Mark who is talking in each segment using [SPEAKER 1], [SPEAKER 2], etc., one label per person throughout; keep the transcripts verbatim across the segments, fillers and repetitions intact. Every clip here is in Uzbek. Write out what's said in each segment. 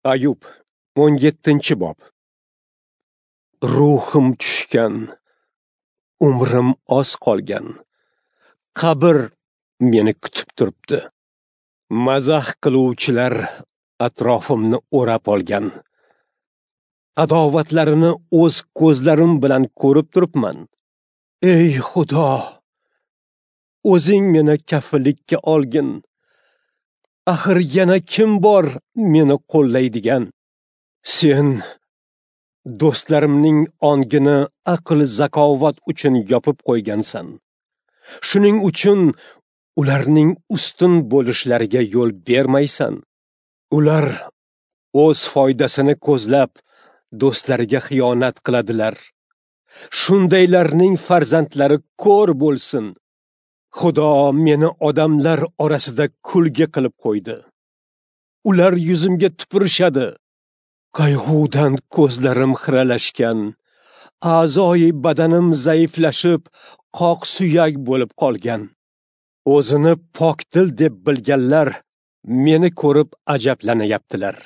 [SPEAKER 1] Ayub, o'n yettinchi bob. Ruhim tushgan, umrim oz qolgan. Qabr meni kutib turibdi. Mazax qiluvchilar atrofimni o'rab olgan. Adovatlarini o'z ko'zlarim bilan ko'rib turibman. Ey Xudo, o'zing meni kafillikka olgin. Axir yana kim bor meni qo'llaydigan? Sen do'stlarimning ongini aql zakovat uchun yopib qo'ygansan. Shuning uchun ularning ustun bo'lishlariga yo'l bermaysan. Ular o'z foydasini ko'zlab do'stlariga xiyonat qiladilar. Shundaylarning farzandlari ko'r bo'lsin. Xudo meni odamlar orasida kulgi qilib qo'ydi. Ular yuzimga tupurishadi. Qayg'udan ko'zlarim xiralashgan, a'zoyi badanim zaiflashib, qoq suyak bo'lib qolgan. O'zini pokdil deb bilganlar meni ko'rib ajablanyaptilar.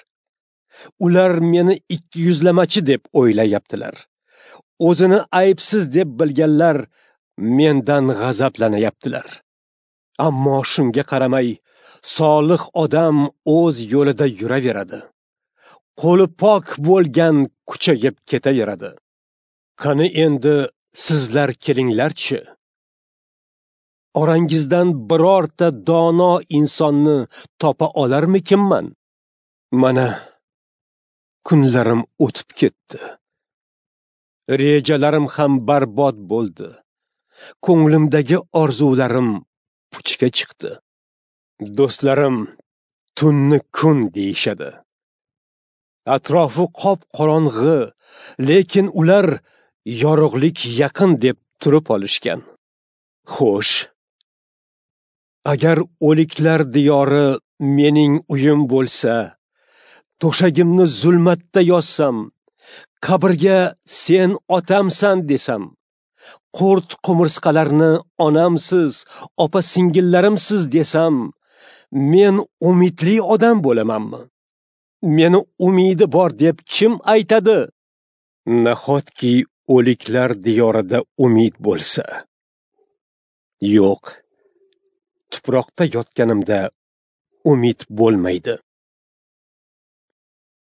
[SPEAKER 1] Ular meni ikki yuzlamachi deb o'ylayaptilar. O'zini aybsiz deb bilganlar mendan g'azablanyaptilar. Ammo shunga qaramay, solih odam o'z yo'lida yuraveradi. Qo'li pok bo'lgan kuchayib ketaveradi. Qani endi sizlar kelinglarchi? Orangizdan birorta dono insonni topa olarmikinman? Mana kunlarim o'tib ketdi. Rejalarim ham barbod bo'ldi. Ko'nglimdagi orzularim puchga chiqdi. Do'stlarim tunni kun deyishadi. Atrofi qop-qorong'i, lekin ular yorug'lik yaqin deb turib olishgan. Xo'sh, agar o'liklar diyori mening uyim bo'lsa, to'shagimni zulmatda yozsam, qabrga sen otamsan desam, qurt qumursqalarni onamsiz, opa singillarimsiz desam, men umidli odam bo'lamanmi? Meni umidi bor deb kim aytadi? Nahotki o'liklar diyorida umid bo'lsa? Yo'q, tuproqda yotganimda umid bo'lmaydi.